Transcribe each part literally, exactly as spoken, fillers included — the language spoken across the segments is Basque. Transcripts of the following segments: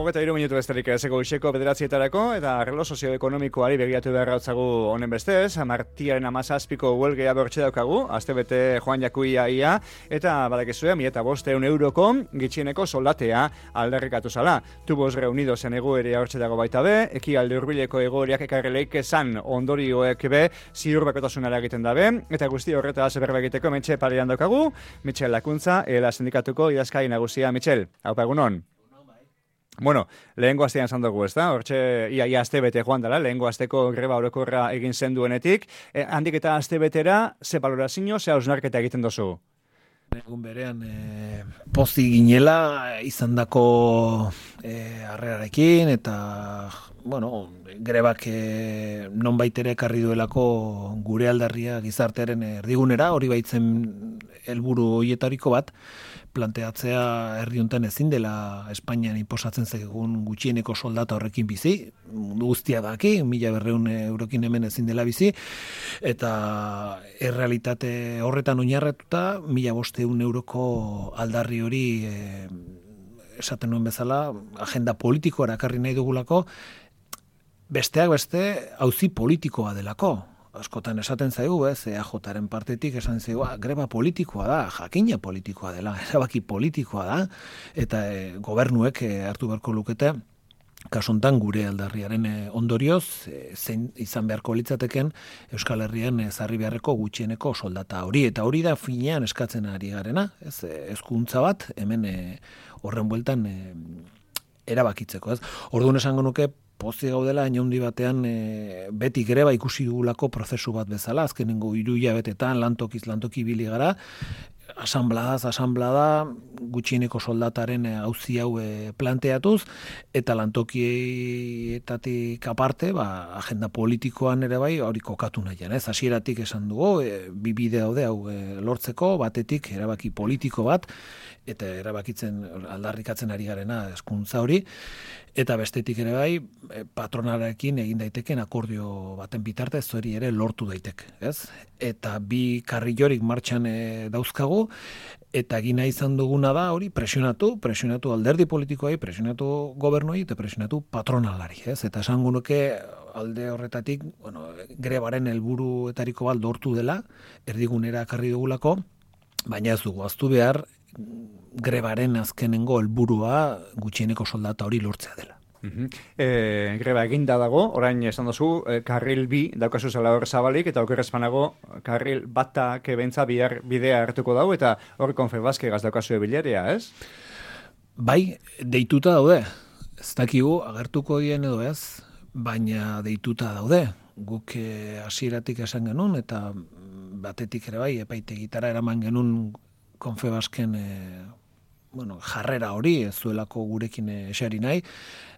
hogeita hiru minutu besterik ezeko goizeko bederatzietarako eta arlo sozioekonomikoari begiratu behar gautzagu honen bestez, martiaren amazazpiko huelgea bertxe daukagu, astebete joan jakuia ia, eta badakizue, mi eta bosteun euroko gitxieneko soldatea aldarrikatu zala. Tubos reunidozen egoerea hortxe dago baita be, eki alde urbileko egoereak ekarreleik esan ondorioek be, ziur bakotasunara egiten dabe, eta guzti horretaz berba egiteko Mitxel parean daukagu, Mitxel Lakuntza, ela sindikatuko idazkai nagusia. Mitxel, haupa egunon. Bueno, lehengo astean esan dugu, ez da? Hortxe, ia, ia aste bete joan dela, lehengo asteko greba orokorra egin zen duenetik. E, handik eta aste betera, ze balorazio, ze hausnarketa egiten dozu? Egun berean, e, pozi ginela izandako e, harrerarekin, eta, bueno, grebak e, nonbait ere ekarri duelako gure aldarria gizartearen erdigunera, hori baitzen helburu horietariko bat, planteatzea herri honetan ezin dela Espainian inposatzen zegoen gutxieneko soldata horrekin bizi, mundu guztia daki, mila berreun eurokin hemen ezin dela bizi, eta errealitate horretan oinarratuta, mila bosteun euroko aldarri hori e, esaten nuen bezala, agenda politikoa erakarri nahi dugulako, besteak beste auzi politikoa delako. Askotan esaten zaigu, ez, E A Jaren partetik esan zaigu, greba politikoa da, jakina politikoa dela, erabaki politikoa da, eta e, gobernuek e, hartu beharko lukete, kasontan gure aldarriaren e, ondorioz, e, zein izan beharko litzateken Euskal Herrian ezarri beharreko gutxieneko soldata hori, eta hori da finean eskatzen ari garena, ez, hezkuntza bat, hemen e, horren bueltan e, erabakitzeko, ez. Orduan esango nuke, pozi gaudela, inaundi batean e, beti greba ikusi dugulako prozesu bat bezala, azkenengo hiru hilabetetan lantokiz lantoki ibili gara, asanbladaz, asanblada, gutxieneko soldataren auzi hau e, planteatuz, eta lantokietatik aparte, ba, agenda politikoan ere bai, hori kokatu nahian, ez? Hasieratik esan dugu, e, bi bide daude hau e, lortzeko, batetik erabaki politiko bat, eta erabakitzen aldarrikatzen ari garena hezkuntza hori, eta bestetik ere bai, patronalarekin egin daiteken akordio baten bitartez hori ere lortu daiteke, ez? Eta bi karrilorik martxan e, dauzkagu, eta egina izan duguna da hori presionatu, presionatu alderdi politikoai, presionatu gobernuei eta presionatu patronalari, ez? Eta esango nuke alde horretatik, bueno, grebaren helburuetariko bat lortu dela, erdigunera ekarri dugulako, baina ez dugu aztu behar grebaren azkenengo helburua gutxieneko soldata hori lortzea dela. Uh-huh. E, greba eginda dago, orain esan dozu, e, karril bi daukazu zela hor zabalik, eta okerrezpanago karril bata kebentza bidea hartuko dago, eta hor Confebaske gaz daukazu ebileria, ez? Bai, deituta daude. Ez dakigu agertuko dien edo ez, baina deituta daude. Guk hasieratik esan genuen, eta batetik ere bai, epaitegitara eraman genuen Confebasken e, bueno, jarrera hori, ez zuelako gurekin eseri nahi,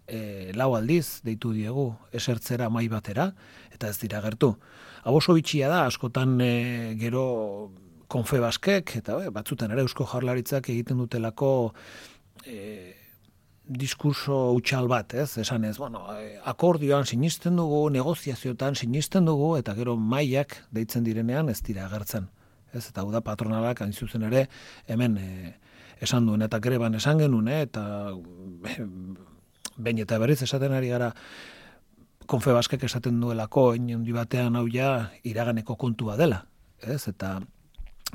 e, lau aldiz deitu diegu esertzera mai batera, eta ez dira gertu. Hau oso bitxia da, askotan e, gero Confebaskek, eta e, batzutan ere Eusko Jaurlaritzak egiten dutelako e, diskurso utxal bat, ez? Esan ez, bueno, akordioan sinisten dugu, negoziaziotan sinisten dugu, eta gero maiak deitzen direnean ez dira agertzen. Ez, eta hau da patronalak hain zuzen ere hemen e, esan duen, eta greban esan genuen, e, eta e, behin eta berriz esaten ari gara Confebaskek esaten duelako inundi batean hau ja iraganeko kontua dela, ez, eta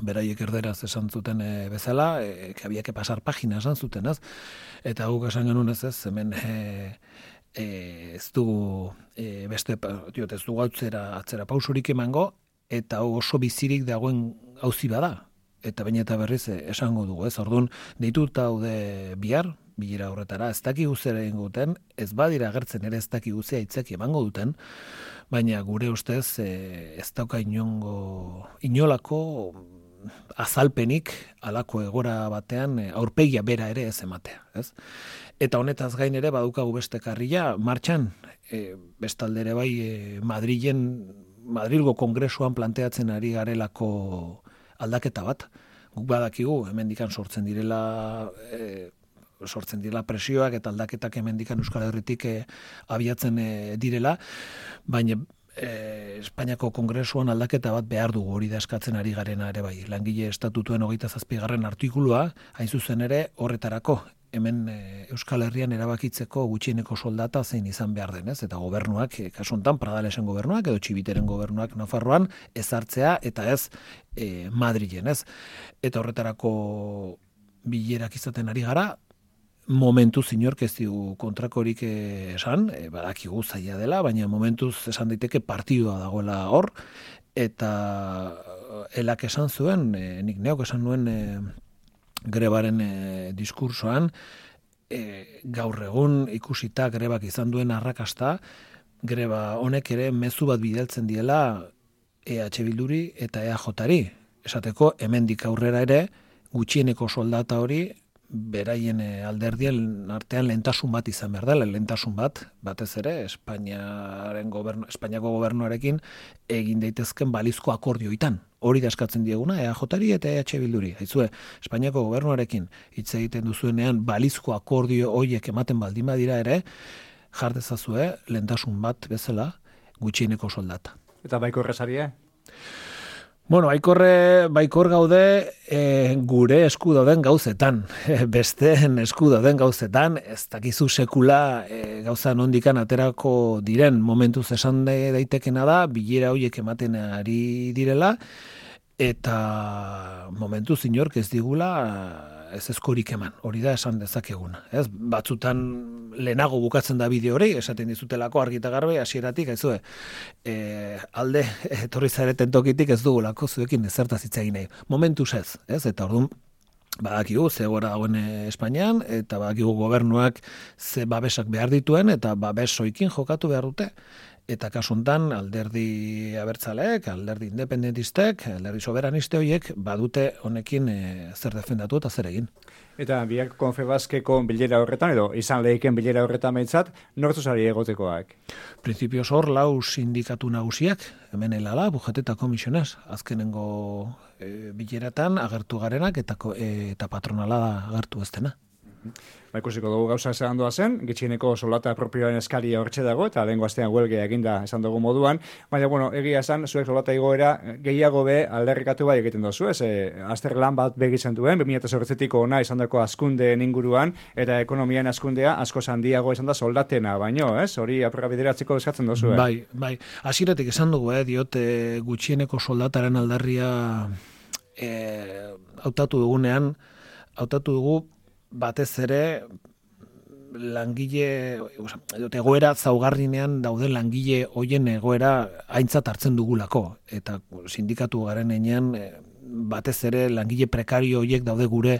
beraiek erderaz esan zuten e, bezala, e, que había que pasar página esan zuten, ez, eta guk esan genuen ez, ez, hemen e, e, ez dugu e, beste, diot, ez dugu atzera, atzera pausurik emango, eta oso bizirik dagoen auzi bada, eta baina eta berriz esango dugu, ez? Orduan, deituta daude bihar, bilera horretara, ez dakigu zer egingo duten, ez badira agertzen ere ez dakigu ze aitzaki emango duten, baina gure ustez e, ez dauka inongo, inolako azalpenik alako egora batean e, aurpegia bera ere ez ematea, ez? Eta honetaz gain ere badukagu beste karrila martxan, e, bestalde ere bai e, Madrilen Madrilgo Kongresuan planteatzen ari garelako aldaketa bat. Guk badakigu, hemendikan sortzen direla e, sortzen direla presioak eta aldaketak hemendikan Euskal Herritik e, abiatzen e, direla, baina e, Espainiako Kongresuan aldaketa bat behar dugu, hori da eskatzen ari garena ere bai. Langile estatutuen hogeita zazpigarren artikulua, hain zuzen ere horretarako, hemen e, Euskal Herrian erabakitzeko gutxieneko soldata zein izan behar denez, eta gobernuak, e, kasu honetan Pradalesen gobernuak edo Txibiteren gobernuak Nafarroan ezartzea eta ez e, Madrilen, ez? Eta horretarako bilerak izaten ari gara, momentuz inork ez digu kontrakorik esan, e, badakigu zaila dela, baina momentuz esan daiteke partidua dagoela hor, eta elak esan zuen, e, nik neok esan nuen e, grebaren e, diskursoan, e, gaur egun ikusita grebak izan duen arrakasta, greba honek ere mezu bat bidaltzen diela E H Bilduri eta E A Jari. Esateko, hemendik aurrera ere, gutxieneko soldata hori, beraien alderdien artean lehentasun bat izan behar dela, lehentasun bat, batez ere, Espainiaren gobernu, Espainiako gobernuarekin egin daitezken balizko akordioitan. Hori da eskatzen dieguna, E A Jari eta E H Bilduri. Haizue, Espainiako gobernuarekin hitz egiten duzuenean balizko akordio horiek ematen baldin badira ere, jardezazue lehentasun bat bezala gutxieneko soldata. Eta baiko errezaria? Bueno, baikorre, baikor gaude e, gure esku dauden gauzetan, besteen esku dauden gauzetan, ez dakizu sekula e, gauza nondikan aterako diren momentuz esan daitekena da, bilera horiek ematen ari direla, eta momentuz inork ez digula ez eskorik eman, hori da esan dezakeguna. Ez? Batzutan lehenago bukatzen da bideo hori, esaten dizutelako argi eta garbi hasieratik, aizue, e, alde etorri zareten tokitik ez dugulako zuekin ezertaz hitz egin nahi. Momentuz ez, ez? Eta orduan badakigu ze gora dagoen Espainian, eta badakigu gobernuak ze babesak behar dituen, eta babesoikin jokatu behar dute. Eta kasu hontan alderdi abertzaleek, alderdi independentistek, alderdi soberaniste horiek badute honekin e, zer defendatu eta zer egin. Eta biak Konfebaskeko bilera horretan, edo izan lehiken bilera horretan behintzat, nortu zari egotekoak? Printzipioz hor lau sindikatu nagusiak, hemen helala, Bujete eta Komisionez, azkenengo e, bileratan agertu garenak eta, e, eta patronala agertu ez dena. Ba, ikusiko dugu gauza esan doa zen, gitxieneko soldata propioaren eskaria hortxe dago, eta lehenko astean huelgea eginda esan dugu moduan, baina, bueno, egia esan, zuek soldata igoera gehiago be alderrikatu bai egiten dozu, ez, e, azter lan bat begitzen duen, bi mila zortziko ona izan dako askundeen inguruan, eta ekonomian askundea asko handiago izan da soldatena, baino, ez, hori apurra bideratzeko eskatzen dozu, eh? Bai, bai, hasieratik esan dugu, eh, diote gutxieneko soldataren aldarria eh, hautatu dugunean, hautatu dugu batez ere langile, egoera zaugarrinean dauden langile hoien egoera aintzat hartzen dugulako, eta sindikatu garen enean batez ere langile prekario horiek daude gure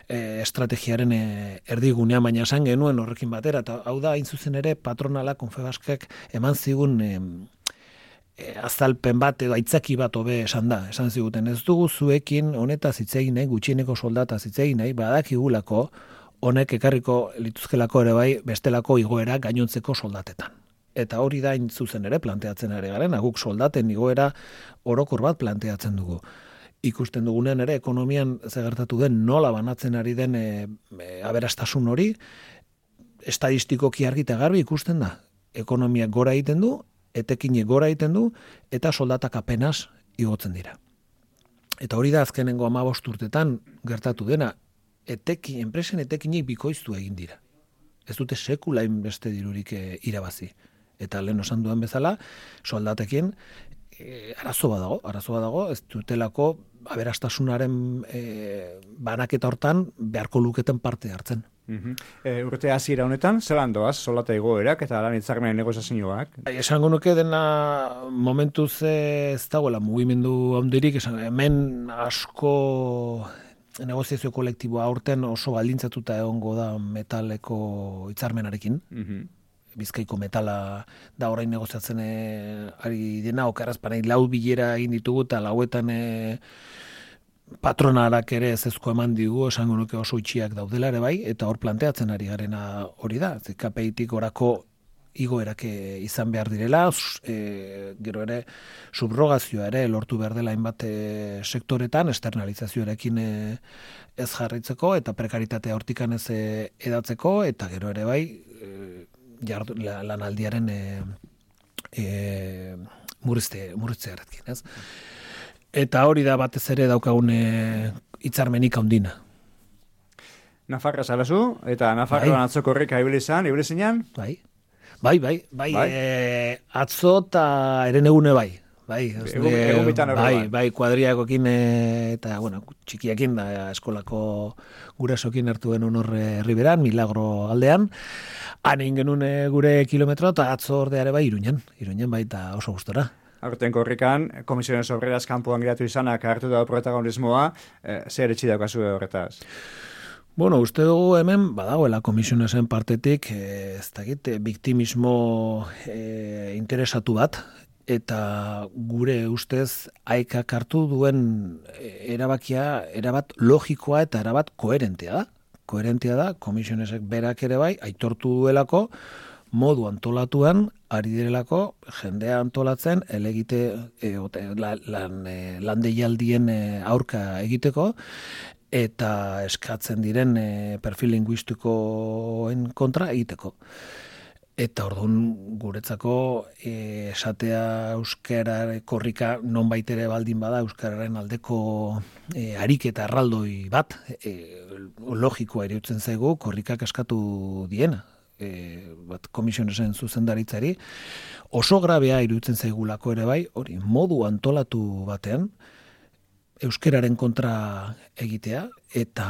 e, estrategiaren e, erdigunean, baina esan genuen horrekin batera, eta hau da hain zuzen ere patronala Konfebaskek eman zigun e, e, azalpen bat edo aitzaki bat hobe esan da, esan ziguten ez dugu zuekin honetaz hitz egin nahi, gutxieneko soldataz hitz egin nahi, badakigulako honek ekarriko lituzkelako ere bai bestelako igoera gainontzeko soldatetan. Eta hori da hain zuzen ere planteatzen ari garen, guk soldaten igoera orokor bat planteatzen dugu. Ikusten dugunean ere ekonomian zegertatu den nola banatzen ari den e, e, aberastasun hori, estadistikoki argi eta garbi ikusten da. Ekonomiak gora egiten du, etekinek gora egiten du, eta soldatak apenas igotzen dira. Eta hori da azkenengo hamabost urtetan gertatu dena, eteki, enpresen etekinek bikoiztu egin dira. Ez dute sekula beste dirurik e, irabazi. Eta lehen osan duen bezala, soldatekin e, arazo badago, arazo badago, ez dutelako aberastasunaren e, banaketa hortan beharko luketen parte hartzen. Uh-huh. E, urte hasiera honetan, zelan doaz, soldata igoerak eta lan hitzarmenen negoziazioak? Esango nuke dena momentuz ez dagoela mugimendu handirik, esan, hemen asko negoziazio kolektiboa aurten oso baldintzatuta egongo da metaleko hitzarmenarekin. Uh-huh. Bizkaiko metala da orain negoziatzen e, ari dena, okarrazpanei lau bilera egin ditugu eta lauetan e, patronarak ere ezezko eman digu, esango nuke oso itxiak daudela ere bai, eta hor planteatzen ari garena hori da. K P I-tik orako igoerak izan behar direla, e, gero ere subrogazioa ere lortu behar dela hainbat e, sektoretan, externalizazioarekin e, ez jarraitzeko, eta prekaritatea hortikan ez e, edatzeko, eta gero ere bai, e, jardu, la, lanaldiaren e, e, murrizte, murriztearekin, ez? Eta hori da batez ere daukagun hitzarmenik handina. Nafarra zalazu, eta Nafarroan bai. Atzo korrika ibili izan, ibili zinean? Bai, bai, bai, bai, bai. E, atzo eta eren egune bai. Bai, egun, egun bitan bai, bai, kuadriakokin eta, bueno, txikiakin da eskolako gurasokin hartu genuen horre herriberan, Milagro aldean. Han egin genuen gure kilometro eta atzo ordeare bai Iruñan, Iruñan bai eta oso gustora. Aurten korrikan, Komisiones Obreras kanpoan giratu izanak hartu da protagonismoa, eh, zer etxi daukazu horretaz? Bueno, uste dugu hemen badagoela Komisionesen partetik, eh, ez dakit, biktimismo eh, interesatu bat, eta gure ustez haikak hartu duen erabakia, erabat logikoa eta erabat koherentea da. Koherentea da, Komisionesek berak ere bai, aitortu duelako, modu antolatuan, ari direlako, jendea antolatzen, elegite, e, lan, e, landeialdien e, aurka egiteko, eta eskatzen diren e, perfil linguistikoen kontra egiteko. Eta orduan guretzako e, esatea euskara korrika nonbait ere baldin bada euskararen aldeko e, ariketa erraldoi bat e, logikoa iruditzen zaigu korrikak eskatu diena. E, bat Komisionesen zuzendaritzari oso grabea iruditzen zaigulako ere bai, hori modu antolatu batean euskararen kontra egitea eta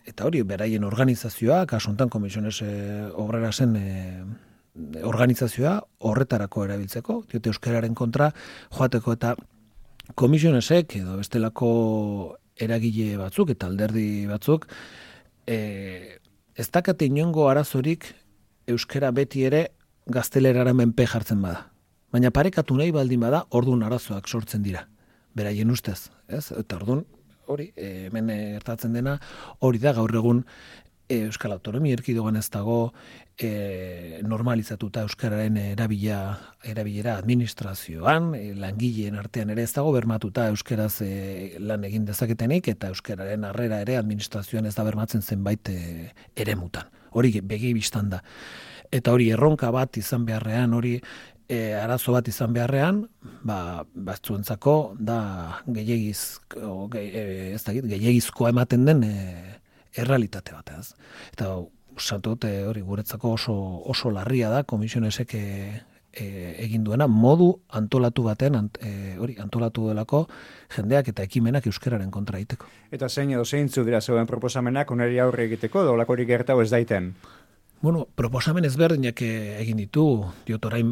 eta hori beraien organizazioa, kasu honetan Komisiones e, Obrerasen e, organizazioa horretarako erabiltzeko, diote euskararen kontra joateko eta Komisionesek edo bestelako eragile batzuk eta alderdi batzuk e, ez dakate inongo arazorik euskara beti ere gaztelerara menpe jartzen bada. Baina parekatu nahi baldin bada orduan arazoak sortzen dira. Beraien ustez, ez? Eta orduan hori, hemen gertatzen dena, hori da gaur egun e, Euskal Autonomia Erkidegoan ez dago e, normalizatuta euskararen erabila, erabilera administrazioan, e, langileen artean ere ez dago bermatuta euskaraz e, lan egin dezaketenik eta euskararen harrera ere administrazioan ez da bermatzen zenbait e, eremutan. Hori begi bistan da. Eta hori erronka bat izan beharrean, hori E, arazo bat izan beharrean, ba, batzuentzako da gehiagiz, ge, e, ez dakit, gehiagizkoa ematen den e, errealitate bat, ez. Eta usatot hori guretzako oso, oso larria da Komisionesek e, e, egin duena modu antolatu baten, ant, e, hori antolatu delako jendeak eta ekimenak euskararen kontra egiteko. Eta zein edo zeintzu dira zeuen proposamenak oneri aurre egiteko, dolakorik gertau ez daiten? Bueno, proposamen ezberdinak egin ditu, diot orain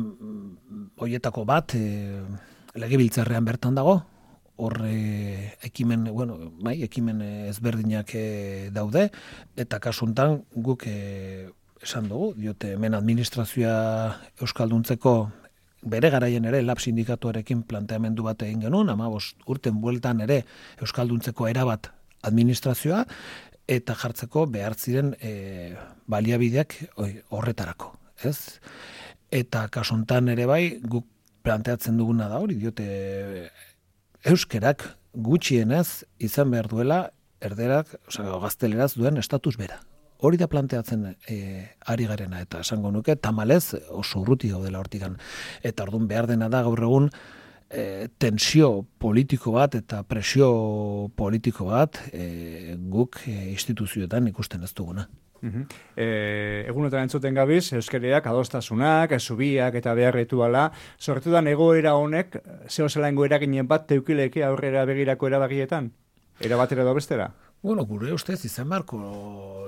hoietako bat e, legebiltzarrean bertan dago, horre ekimen, bueno, bai, ekimen ezberdinak e, daude, eta kasuntan guk e, esan dugu, diote hemen administrazioa euskalduntzeko bere garaien ere lab sindikatuarekin planteamendu bat egin genuen, hamabost urten bueltan ere euskalduntzeko erabat administrazioa, eta jartzeko behar ziren e, baliabideak horretarako, ez? Eta kasontan ere bai, guk planteatzen duguna da hori, diote euskerak gutxienez izan behar duela erderak, osea, gazteleraz duen estatus bera. Hori da planteatzen e, ari garena, eta esango nuke, tamalez oso urruti gaudela hortikan. Eta orduan behar dena da gaur egun E, tensio politiko bat eta presio politiko bat e, guk e, instituzioetan ikusten ez duguna. Uh-huh. E, egunotan entzuten gabiz, euskariak adostasunak, zubiak eta behar rituala, sortu da egoera honek, zeo zelango eraginen bat teukileke aurrera begirako erabagietan? Erabatera edo bestera? Bueno, gure ustez izan beharko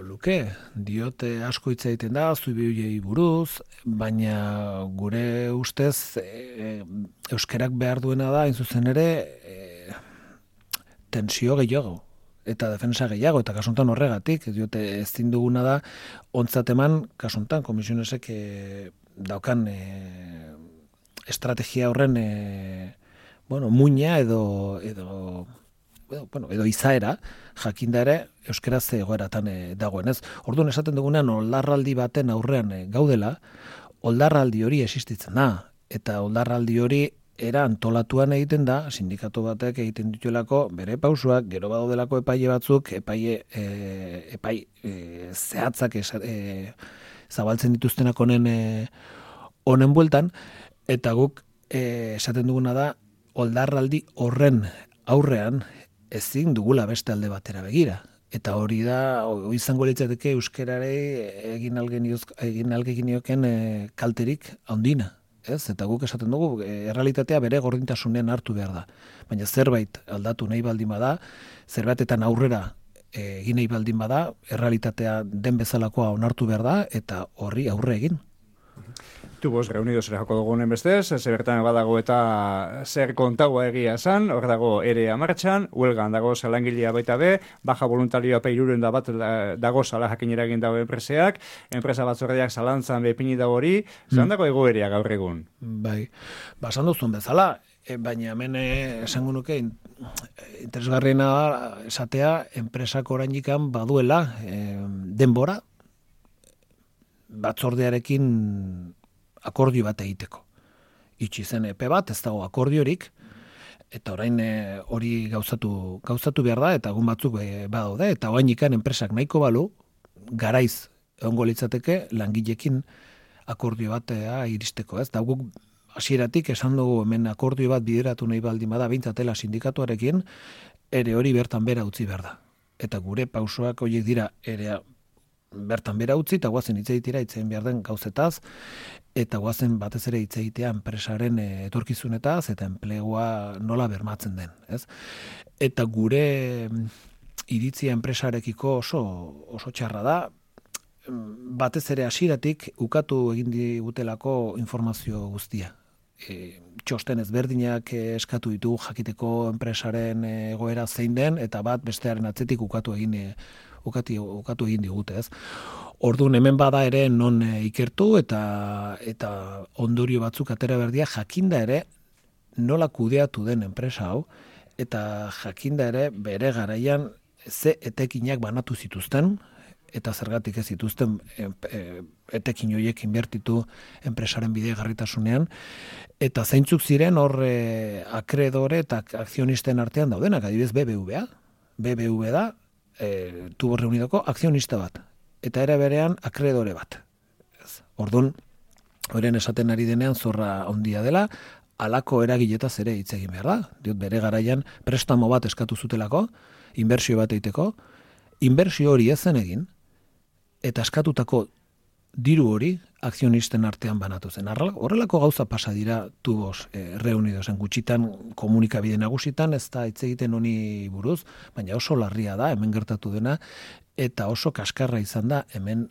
luke, diote asko hitz egiten da, zubiei buruz, baina gure ustez e, euskerak behar duena da, hain zuzen ere, e, tensio gehiago, eta defensa gehiago, eta kasuntan horregatik, diote ezin duguna da, ontzat eman, kasuntan, Komisionesek e, daukan e, estrategia horren, e, bueno, muina edo... edo bueno, edo izaera, jakinda ere, euskaraz egoeratan e, dagoen, ez? Orduan esaten dugunean, oldarraldi baten aurrean e, gaudela, oldarraldi hori existitzen da, eta oldarraldi hori era antolatuan egiten da, sindikatu batek egiten dituelako, bere pausuak, gero badaudelako epaile batzuk, epaile, e, epai e, zehatzak esa, e, zabaltzen dituztenak honen e, honen bueltan, eta guk e, esaten duguna da, oldarraldi horren aurrean, ezin dugula beste alde batera begira. Eta hori da, hori izango litzateke euskarare egin egin algeginioken e, kalterik handina. Ez? Eta guk esaten dugu, e, errealitatea bere gordintasunean hartu behar da. Baina zerbait aldatu nahi baldin bada, zerbaitetan aurrera e, egin nahi baldin bada, errealitatea den bezalakoa onartu behar da, eta horri aurre egin. Tubos reunidos ere joko dugunen bestez, ze bertan badago eta zer kontagoa egia esan, hor dago erea martxan, huelgan dago zelangilea baita be, baja voluntarioa peiruren da bat dago zala jakinera egin dago enpreseak, enpresa batzordeak zalantzan bepini dago hori, zelan dago egoerea gaur egun? Bai, basan duzun bezala, e, baina hemen esango nuke interesgarriena esatea enpresak oraindikan baduela e, denbora batzordearekin akordio bat egiteko. Itxi zen epe bat, ez dago akordiorik, eta orain e, hori gauzatu, gauzatu behar da, eta egun batzuk e, badaude, eta orain ikan enpresak nahiko balu, garaiz egongo litzateke langilekin akordio bat e, iristeko, ez? Da guk hasieratik esan dugu hemen akordio bat bideratu nahi baldin bada bintzatela sindikatuarekin, ere hori bertan bera utzi behar da. Eta gure pausoak horiek dira ere bertan bera utzi, eta guazen hitz egitera hitzein behar den gauzetaz, eta guazen batez ere hitz egitea enpresaren etorkizunetaz, eta enplegua nola bermatzen den. Ez? Eta gure iritzia enpresarekiko oso, oso txarra da, batez ere hasieratik ukatu egin digutelako informazio guztia. E, txosten ezberdinak eskatu ditu jakiteko enpresaren egoera zein den, eta bat bestearen atzetik ukatu egin ukati, ukatu egin digute, ez. Orduan hemen bada ere non e, ikertu eta eta ondorio batzuk atera berdia jakinda ere nola kudeatu den enpresa hau, eta jakinda ere bere garaian ze etekinak banatu zituzten, eta zergatik ez zituzten e, e, etekin horiek inbertitu enpresaren bidegarritasunean, eta zeintzuk ziren hor e, akredore eta akzionisten artean daudenak, adibidez B B V A. B B V da, e, Tubos Reunidoko akzionista bat, eta era berean akredore bat. Ez. Orduan, horren esaten ari denean zorra handia dela, halako eragiletaz ere hitz egin behar da. Diot, bere garaian prestamo bat eskatu zutelako, inbertsio bat egiteko, inbertsio hori ez zen egin, eta eskatutako diru hori akzionisten artean banatu zen. Horrelako gauza pasa dira Tubos e, Reunidosen gutxitan komunikabide nagusitan, ez da hitz egiten honi buruz, baina oso larria da hemen gertatu dena, eta oso kaskarra izan da hemen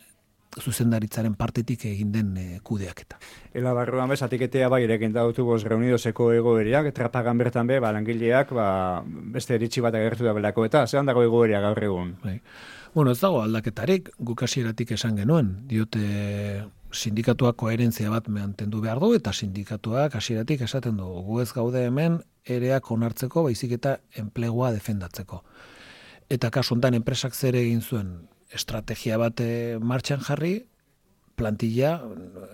zuzendaritzaren partetik egin den e, kudeaketa. Ela barruan bez, atiketea bai ere gintau Tubos Reunidoseko egoeriak, trapagan bertan be, ba, langileak ba, beste eritxi bat agertu da belako, eta zelan dago egoeria gaur egun? Bai. Bueno, ez dago aldaketarik, guk hasieratik esan genuen, diote sindikatuak koherentzia bat mantendu behar du, eta sindikatuak hasieratik esaten du, gu ez gaude hemen ereak onartzeko, baizik eta enplegua defendatzeko. Eta kasu honetan enpresak zer egin zuen, estrategia bat e, martxan jarri, plantilla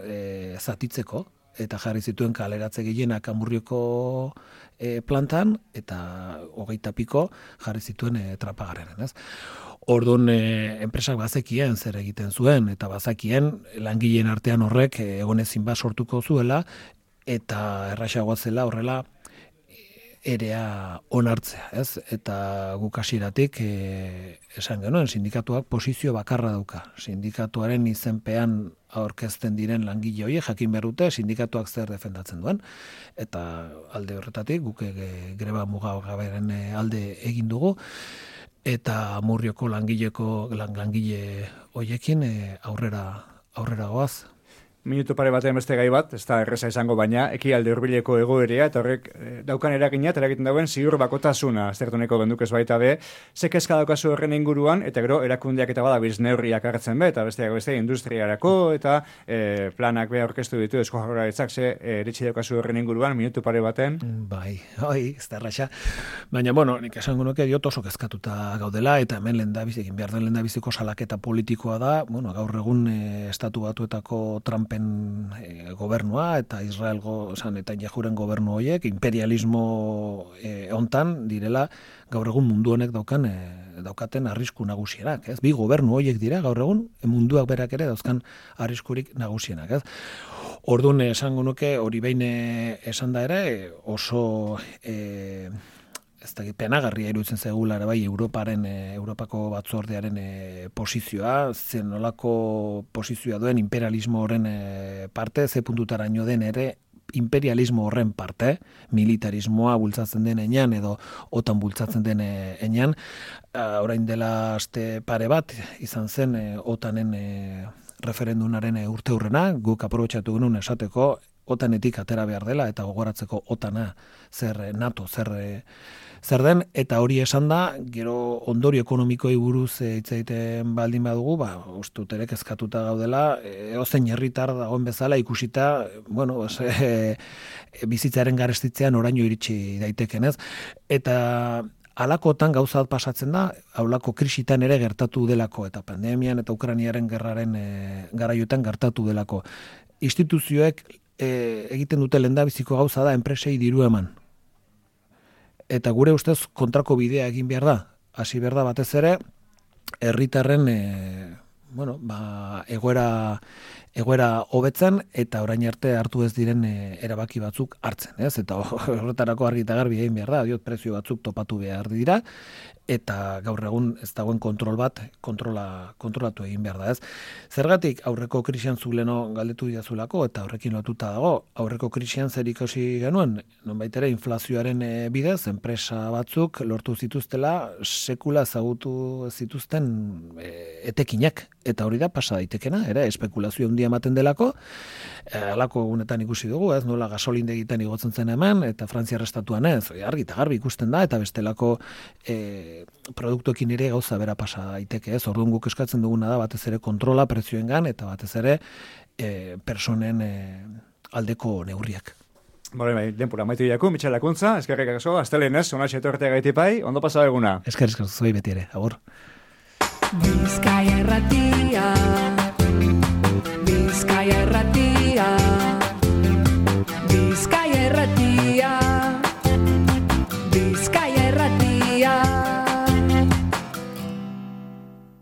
e, zatitzeko, eta jarri zituen kaleratze gehienak Amurrioko e, plantan, eta hogeita piko jarri zituen e, Trapagaren, ez? Orduan, e, enpresak bazekien zer egiten zuen, eta bazakien langileen artean horrek e, egonezin bat sortuko zuela, eta erraxagoa zela horrela erea onartzea, ez? Eta guk hasieratik e, esan genuen, sindikatuak posizio bakarra dauka. Sindikatuaren izenpean aurkezten diren langile horiek jakin behar dute sindikatuak zer defendatzen duen, eta alde horretatik guk e, greba mugagaberen alde egin dugu, eta Amurrioko langileko lang, langile horiekin e, aurrera aurrera goaz. Minutu pare batean beste gai bat, ez da erreza izango baina, ekialde hurbileko egoerea, eta horrek e, daukan eragina, eta eragiten dauen ziur bakotasuna, aztertuneko benduk ez baita be, zekezka daukazu horren inguruan, eta gero erakundeak eta badabiz neurriak hartzen be, eta besteak beste industriarako, eta e, planak be aurkeztu ditu Eusko Jaurlaritzak, ze e, eritxi daukazu horren inguruan, minutu pare baten. Bai, oi, ez da erraxa. Baina, bueno, nik esango nuke diot oso kezkatuta gaudela, eta hemen lehendabiz, egin behar den lehendabiziko salaketa politikoa da, bueno, gaur egun e, estatu batuetako Trump E, gobernua eta Israelgo esan eta Jehuren gobernu horiek imperialismo e, hontan direla gaur egun mundu honek daukan e, daukaten arrisku nagusienak, ez? Bi gobernu horiek dira gaur egun munduak berak ere dauzkan arriskurik nagusienak, ez? Orduan esango nuke hori behin esan da ere oso e, ez da penagarria iruditzen zaigula ere bai Europaren e, Europako batzordearen e, posizioa, zen nolako posizioa duen imperialismo horren e, parte, ze puntutaraino den ere imperialismo horren parte, militarismoa bultzatzen den enean edo otan bultzatzen den enean, orain dela aste pare bat izan zen e, otanen e, referendunaren e, urte hurrena, guk aprobetxatu genuen esateko otanetik atera behar dela eta gogoratzeko otana zer NATO, zer zer den, eta hori esan da, gero ondorio ekonomikoi buruz hitz egiten baldin badugu, ba, ustut ere kezkatuta gaudela, edozein herritar dagoen bezala ikusita, bueno, pues, e, e, bizitzaren garestitzean oraino iritsi daiteken, ez? Eta halakotan gauza pasatzen da, haulako krisitan ere gertatu delako, eta pandemian eta Ukrainiaren gerraren e, garaiotan gertatu delako. Instituzioek e, egiten dute lehendabiziko gauza da enpresei diru eman. Eta gure ustez kontrako bidea egin behar da. Hasi behar da batez ere, herritarren e, bueno, ba, egoera, egoera hobetzen eta orain arte hartu ez diren e, erabaki batzuk hartzen. Ez? Eta horretarako argi eta garbi egin behar da, diot prezio batzuk topatu behar dira, eta gaur egun ez dagoen kontrol bat kontrola, kontrolatu egin behar da. Ez? Zergatik aurreko krisian zuleno galdetu didazulako eta horrekin lotuta dago, aurreko krisian zer ikusi genuen, nonbait ere inflazioaren e, bidez, enpresa batzuk lortu zituztela sekula ezagutu zituzten e, etekinak, eta hori da pasa daitekena, ere, espekulazio handia ematen delako, e, alako egunetan ikusi dugu, ez, nola gasolindegitan igotzen zen hemen, eta Frantziar estatuan ez, argi eta garbi ikusten da, eta bestelako e, produktuekin ere gauza bera pasa daiteke, ez, orduan guk eskatzen duguna da, batez ere kontrola prezioengan, eta batez ere e, personen e, aldeko neurriak. Bore, bai, denpura maitu diaku, Mitxel Lakuntza, eskerrik asko, astelenez, onatxe etortea gaitipai, ondo pasa eguna. Esker, esker, zoi beti ere, agur. Bizkaia erratia, Bizkaia erratia.